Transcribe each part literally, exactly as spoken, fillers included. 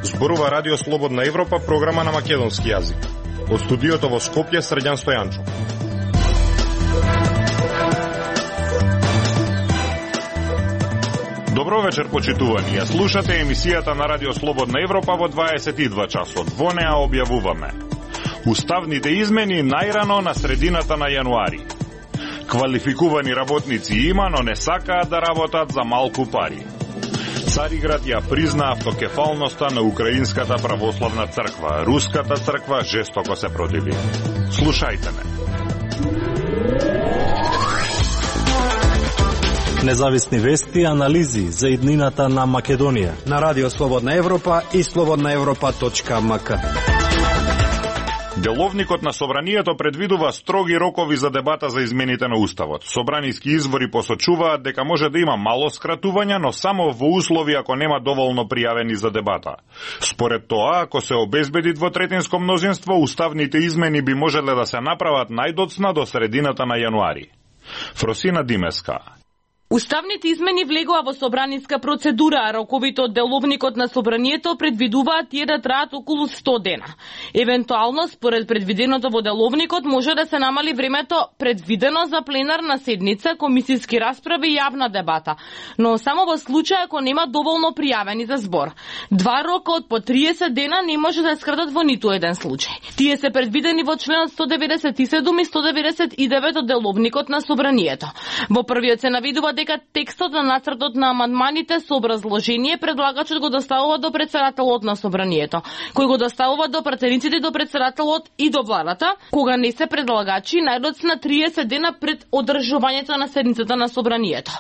Зборува Радио Слободна Европа, програма на македонски јазик. Од студиото во Скопје, Срđan Стојанчов. Добро вечер, почитувани. Ја слушате емисијата на Радио Слободна Европа во дваесет и два часот. Во неа објавуваме уставните измени најрано на средината на јануари. Квалификувани работници има, но не сакаат да работат за малку пари. Цариград ја призна автокефалноста на Украинската православна црква. Руската црква жестоко се противи. Слушајте ме. Независни вести и анализи за иднината на Македонија на Радио Слободна Европа и слободна европа точка ем ка. Деловникот на Собранието предвидува строги рокови за дебата за измените на Уставот. Собраниски извори посочуваат дека може да има мало скратувања, но само во услови ако нема доволно пријавени за дебата. Според тоа, ако се обезбеди двотретинско мнозинство, уставните измени би можеле да се направат најдоцна до средината на јануари. Фросина Димеска. Уставните измени влегоа во собраниска процедура, а роковите од Деловникот на Собранието предвидуваат тие да траат околу сто дена. Евентуално, според предвиденото во Деловникот, може да се намали времето предвидено за пленарна седница, комисиски расправи и јавна дебата, но само во случај ако нема доволно пријавени за збор. Два рока од по триесет дена не може да скратат во ниту еден случај. Тие се предвидени во членот сто деветдесет и седум и сто деветдесет и девет од Деловникот на Собранието. Во првиот се навидува дека текстот на нацртот на амандманите со образложение предлагачот го доставува до претседателот на Собранието, кој го доставува до пратениците до претседателот и до владата, кога не се предлагачи најдоцна триесет дена пред одржувањето на седницата на Собранието.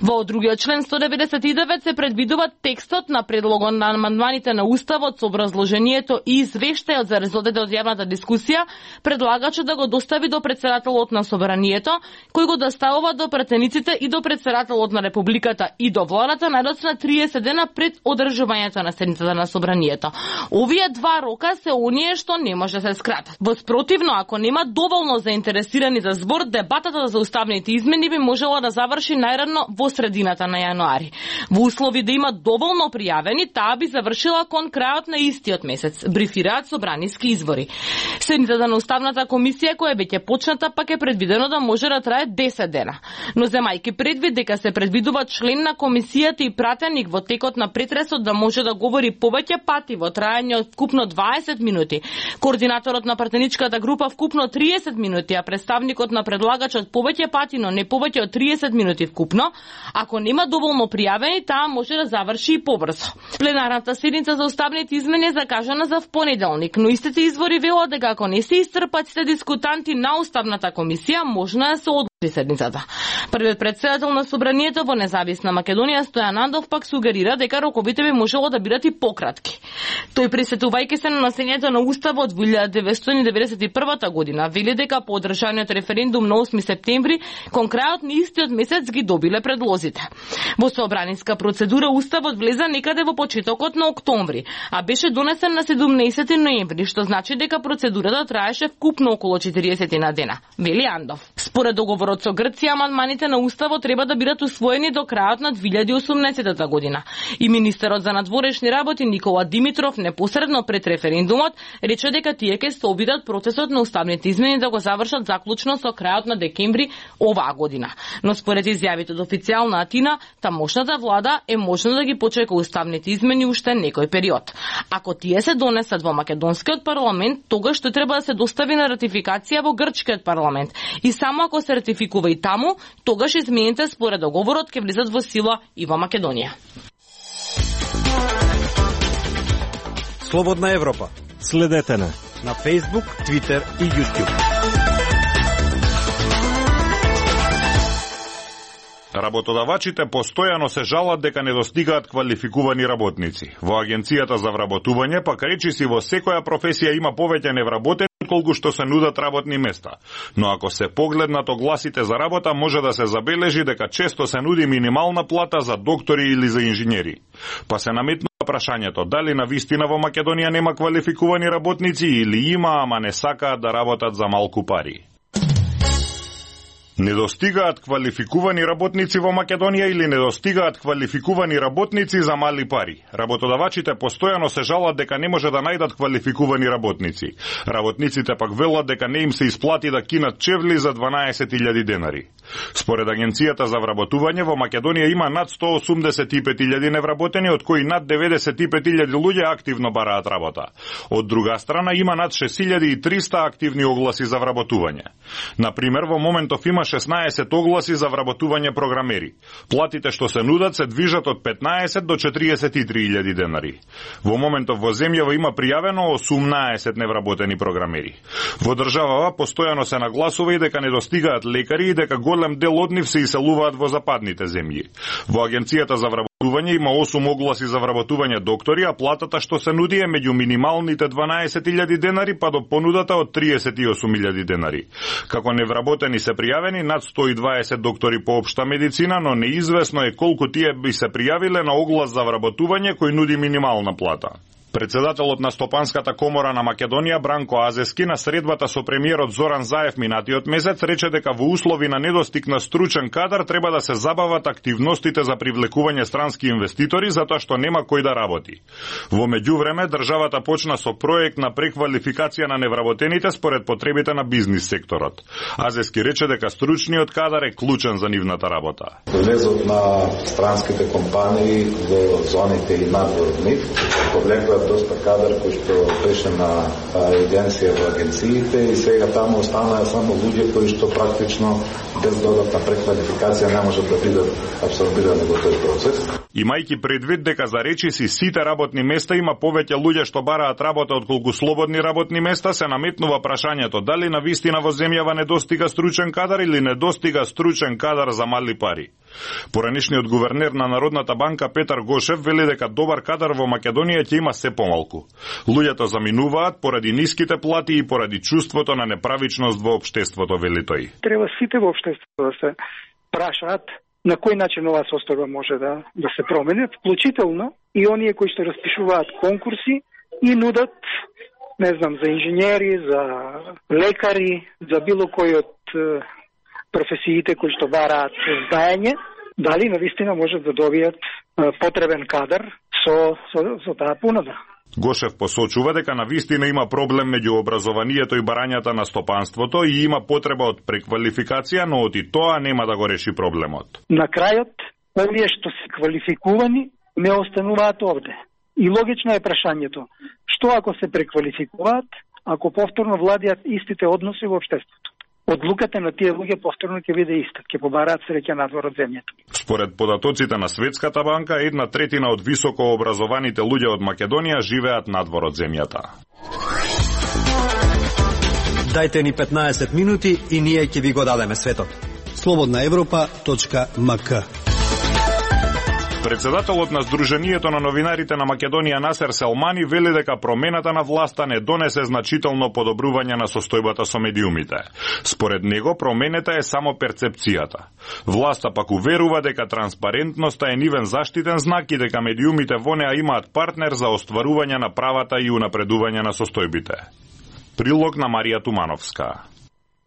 Во другиот член сто деветдесет и девет се предвидува текстот на предлогот на амандманите на Уставот со образложението и извештајот за резултатите од јавната дискусија, предлагачот да го достави до претседателот на Собранието, кој го доставува до пратениците и до претседателот на Републиката и до владата најдоцна триесет дена пред одржувањето на седницата на Собранието. Овие два рока се оние што не може да се скратат. Во спротивно, ако нема доволно заинтересирани за збор, дебатата за уставните измени би можела да заврши најрано во средината на јануари. Во услови да има доволно пријавени, таа би завршила кон крајот на истиот месец, брифираат собраниски извори. Седницата на Уставната комисија, која веќе почната, пак е предвидено да може да трае десет дена. Но земајки предвид дека се предвидува член на комисијата и пратеник во текот на претресот да може да говори повеќе пати во трајање од вкупно дваесет минути, координаторот на пратеничката група вкупно триесет минути, а представникот на предлагачот повеќе пати, но не повеќе од триесет минути вкупно, ако нема доволно пријавени, таа може да заврши и побрзо. Пленарната седница за уставните измени е закажана за впонеделник, но истите извори велат дека ако не се исцрпат сите дискутанти на Уставната комисија, можно да се одложи седницата. Првиот претседател на Собранието во Независна Македонија Стојан Андов пак сугерира дека роковите би можело да бидат и пократки. Тој присетувајќи се на насењето на Уставот во илјада деветстотини деветдесет и прва година, вели дека по одржаниот референдум на осми септември, кон крајот на истиот месец ги добиле предлозите. Во собраниска процедура Уставот влеза некаде во почетокот на октомври, а беше донесен на седумнаесети ноември, што значи дека процедурата траеше вкупно околу четириесет на дена, вели Андов. Според договорот со Грција, амандманите на Уставот треба да бидат усвоени до крајот на две илјади и осумнаесета година. И министерот за надворешни работи Никола Димитров непосредно пред референдумот рече дека тие ќе се обидат процесот на уставните измени да го завршат заклучно со крајот на декември оваа година. Но според изјавите од официјална Атина, тамошната влада е можно да ги почека уставните измени уште некој период. Ако тие се донесат во македонскиот парламент, тогаш што треба да се достави на ратификација во грчкиот парламент. И само ако се ратификува и таму, тогаш измените според договорот ќе влизат во сила и во Македонија. Слободна Европа. Следете на на Facebook, Twitter и YouTube. Работодавачите постојано се жалат дека не достигаат квалификувани работници. Во Агенцијата за вработување пак речиси во секоја професија има повеќе невработени колку што се нудат работни места. Но ако се погледнат огласите за работа, може да се забележи дека често се нуди минимална плата за доктори или за инженери. Па се наметнува прашањето дали на вистина во Македонија нема квалификувани работници или има, ама не сакаат да работат за малку пари. Недостигаат квалификувани работници во Македонија или недостигаат квалификувани работници за мали пари. Работодавачите постојано се жалат дека не може да најдат квалификувани работници. Работниците пак велат дека не им се исплати да кинат чевли за дванаесет илјади денари. Според Агенцијата за вработување во Македонија има над сто осумдесет и пет илјади невработени, од кои над деветдесет и пет илјади луѓе активно бараат работа. Од друга страна има над шест илјади и триста активни огласи за вработување. На пример, во моментов има шеснаесет огласи за вработување програмери. Платите што се нудат се движат од петнаесет до четириесет и три илјади денари. Во моментов во земјава има пријавено осумнаесет невработени програмери. Во државава постојано се нагласува и дека недостигаат лекари и дека голем дел од нив се иселуваат во западните земји. Во Агенцијата за вработување има осум огласи за вработување доктори, а платата што се нуди е меѓу минималните дванаесет илјади денари па до понудата од триесет и осум илјади денари. Како невработени се пријавени над сто и дваесет доктори по општа медицина, но неизвестно е колку тие би се пријавиле на оглас за вработување кој нуди минимална плата. Председателот на Стопанската комора на Македонија Бранко Азески на средбата со премиерот Зоран Заев минатиот месец рече дека во услови на недостиг на стручен кадар треба да се забават активностите за привлекување странски инвеститори затоа што нема кој да работи. Во меѓувреме државата почна со проект на преквалификација на невработените според потребите на бизнис секторот. Азески рече дека стручниот кадар е клучен за нивната работа. Влезот на странските компании во зоните и надвор од нив повлекуваат доста кадар кој што беше на евиденција во агенциите и сега таму останаа само луѓе кои што практично без додатна преквалификација не можат да бидат абсорбирани во тој процес. Имајќи предвид дека за речиси сите работни места има повеќе луѓе што бараат работа отколку слободни работни места, се наметнува прашањето дали на вистина во земјава недостига стручен кадар или недостига стручен кадар за мали пари. Поранишниот гувернер на Народната банка Петар Гошев вели дека добар кадар во Македонија ќе има се помалку. Луѓето заминуваат поради ниските плати и поради чувството на неправичност во општеството, вели тој. Треба сите во општеството да се прашаат на кој начин оваа состојба може да да се промени, вклучително и оние кои што распишуваат конкурси и нудат, не знам, за инженери, за лекари, за било кој од професиите кои што бараат знаење, дали навистина можат да добијат потребен кадар со со, со таа понуда. Гошев посочува дека навистина има проблем меѓу образованието и барањата на стопанството и има потреба од преквалификација, но од и тоа нема да го реши проблемот. На крајот, овие што се квалификувани не остануваат овде. И логично е прашањето, што ако се преквалификуваат, ако повторно владеат истите односи во општеството? Одлуката на тие луѓе повторно ќе биде иста, ќе побараат среќа надвор од земјата. Според податоците на Светската банка, една третина од високо образованите луѓе од Македонија живеат надвор од земјата. Дајте ни петнаесет минути и ние ќе ви го дадеме светот. слободна европа точка ем ка. Председателот на Сдруженијето на новинарите на Македонија Насер Селмани вели дека промената на власта не донесе значително подобрување на состојбата со медиумите. Според него променета е само перцепцијата. Власта пак уверува дека транспарентноста е нивен заштитен знак и дека медиумите во неа имаат партнер за остварување на правата и унапредување на состојбите. Прилог на Марија Тумановска.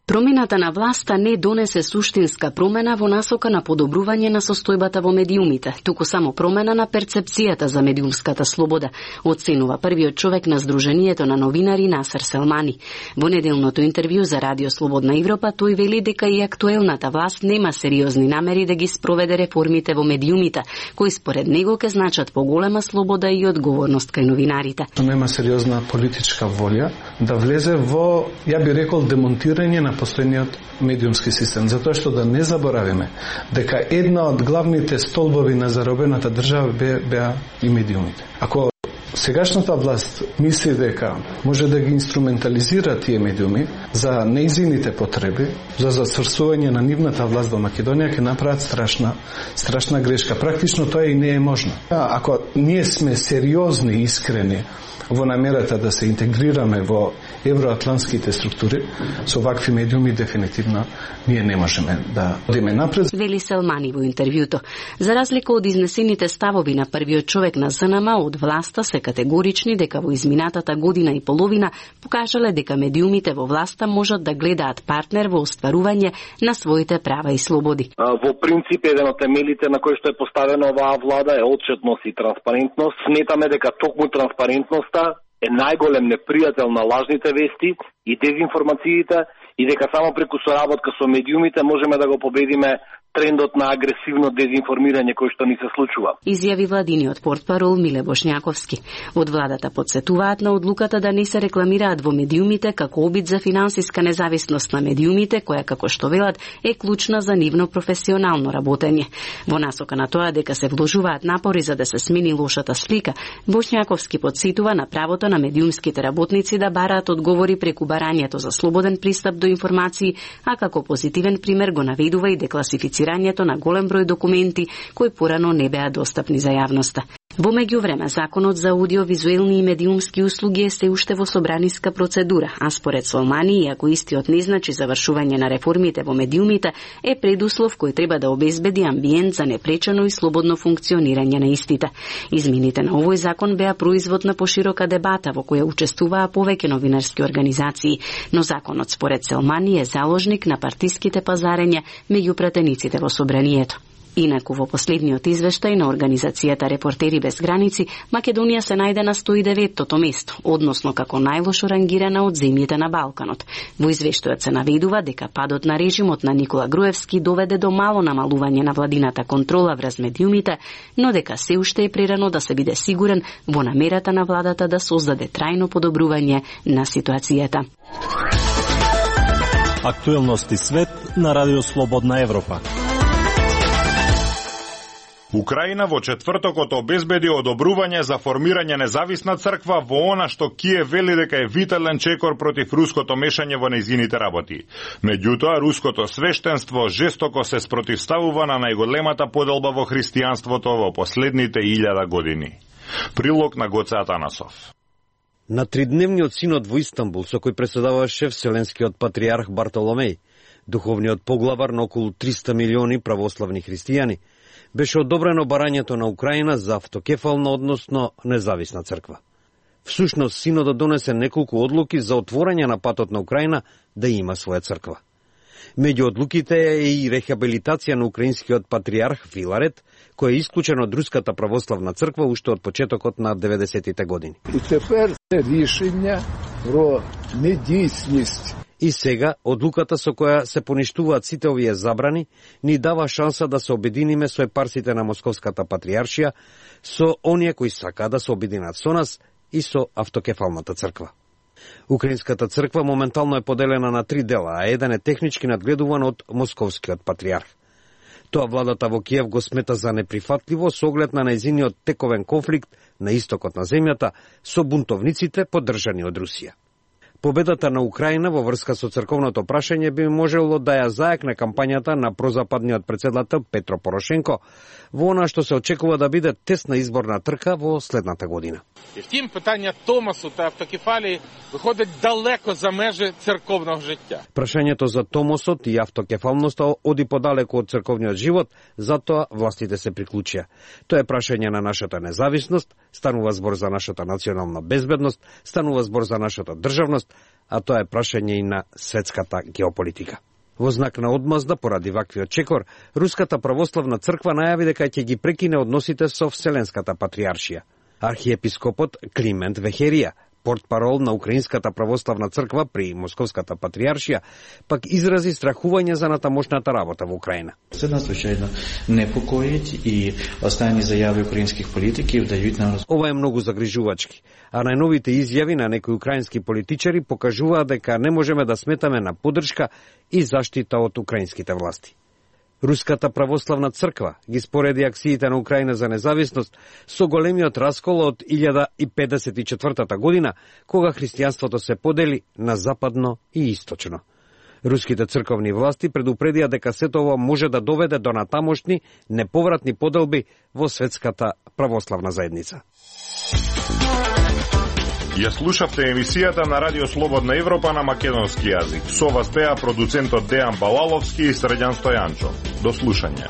Промената на власта не донесе суштинска промена во насока на подобрување на состојбата во медиумите, туку само промена на перцепцијата за медиумската слобода, оценува првиот човек на Сдруженијето на новинари Насер Селмани. Во неделното интервју за Радио Слободна Европа тој вели дека и актуелната власт нема сериозни намери да ги спроведе реформите во медиумите, кои според него ќе значат поголема слобода и одговорност кај новинарите. Нема сериозна политичка волја да влезе во, ја би рекол, демонтирање на постојниот медиумски систем, затоа што да не заборавиме дека една од главните столбови на заробената држава бе, беа и медиумите. Ако сегашната власт мисли дека може да ги инструментализира тие медиуми за нејзините потреби, за зацврсување на нивната власт во Македонија, ќе направат страшна, страшна грешка. Практично тоа и не е можно. Ако ние сме сериозни и искрени во намерата да се интегрираме во евроатлантските структури, со вакви медиуми дефинитивно ние не можеме да одиме напред. Вели Селмани во интервјуто. За разлика од изнесените ставови на првиот човек на ЗНМ, од власта се категорични дека во изминатата година и половина покажале дека медиумите во власта можат да гледаат партнер во остварување на своите права и слободи. Во принцип, еден од темелите на кој што е поставена оваа влада е отчетност и транспарентност. Сметаме дека токму транспарентноста е најголем непријател на лажните вести и дезинформациите и дека само преку соработка со медиумите можеме да го победиме трендот на агресивно дезинформирање кој што ни се случува. Изјави владиниот портпарол Миле Бошњаковски. Од владата потсетуваат на одлуката да не се рекламираат во медиумите како обид за финансиска независност на медиумите, која, како што велат, е клучна за нивно професионално работење. Во насока на тоа дека се вложуваат напори за да се смени лошата слика, Бошњаковски потсетува на правото на медиумските работници да бараат одговори преку барањето за слободен пристап до информации, а како позитивен пример го наведува и декласифицирањето на голем број документи кои порано не беа достапни за јавноста. Во меѓувреме, законот за аудиовизуелни и медиумски услуги е се уште во собраниска процедура, а според Солмани, иако истиот не значи завршување на реформите во медиумите, е предуслов кој треба да обезбеди амбиент за непречено и слободно функционирање на истите. Измените на овој закон беа производ на поширока дебата во која учествуваа повеќе новинарски организации, но законот според Солмани е заложник на партиските пазарења меѓу пратениците во собранието. Инаку во последниот извештај на организацијата Репортери без граници, Македонија се најде на сто и деветто место, односно како најлошо рангирана од земјите на Балканот. Во извештајот се наведува дека падот на режимот на Никола Груевски доведе до мало намалување на владината контрола врз медиумите, но дека се уште е прерано да се биде сигурен во намерата на владата да создаде трајно подобрување на ситуацијата. Актуелности свет на Радио Слободна Европа. Украина во четвртокот обезбеди одобрување за формирање независна црква во она што Киев вели дека е витален чекор против руското мешање во нејзините работи. Меѓутоа, руското свештенство жестоко се спротивставува на најголемата поделба во христијанството во последните илјада години. Прилог на Гоце Атанасов. На тридневниот синод во Истанбул, со кој преседаваше Вселенскиот патриарх Бартоломеј, духовниот поглавар на околу триста милиони православни христијани, беше одобрено барањето на Украина за автокефална, односно независна црква. Всушност, синодот донесе неколку одлуки за отворање на патот на Украина да има своја црква. Меѓу одлуките е и рехабилитација на украинскиот патриарх Филарет, кој е исклучен од Руската православна црква уште од почетокот на деветдесетите години. И тепер решение про недейственост. И сега, одлуката со која се поништуваат сите овие забрани, ни дава шанса да се обединиме со епарсите на Московската патриаршија, со оние кои сака да се обединат со нас и со автокефалната црква. Украинската црква моментално е поделена на три дела, а еден е технички надгледуван од Московскиот патриарх. Тоа владата во Киев го смета за неприфатливо со оглед на нејзиниот тековен конфликт на истокот на земјата со бунтовниците поддржани од Русија. Победата на Украина во врска со црковното прашање би можело да ја зајакне кампањата на прозападниот претседател Петро Порошенко во она што се очекува да биде тесна изборна трка во следната година. І втім, питання Томосу та автокефалії виходить далеко за межи церковного життя. Прашањето за Томосот и автокефалноста оди подалеку од црковниот живот, затоа властите се приклучија. Тоа е прашање на нашата независност, станува збор за нашата национална безбедност, станува збор за нашата државност, а тоа е прашање и на светската геополитика. Во знак на одмазда поради ваквиот чекор, Руската православна црква најави дека ќе ги прекине односите со Вселенската патриаршија. Архиепископот Климент Вехерија, портпарол на Украинската православна црква при Московската патриаршија, пак изрази страхување за натамошната работа во Украина. Це надзвичайно непокоїть і останні заяви українських політиків дають нам... Ова е многу загрижувачки, а најновите изјави на некои украински политичари покажуваат дека не можеме да сметаме на поддршка и заштита од украинските власти. Руската православна црква ги спореди акциите на Украина за независност со големиот раскол од илјада и педесет и четвртата година, кога христијанството се подели на западно и источно. Руските црковни власти предупредија дека сето ова може да доведе до натамошни неповратни поделби во светската православна заедница. Ја слушавте емисијата на Радио Слободна Европа на македонски јазик. Со вас беа продуцентот Дејан Балаловски и Средјан Стојанчо. До слушање.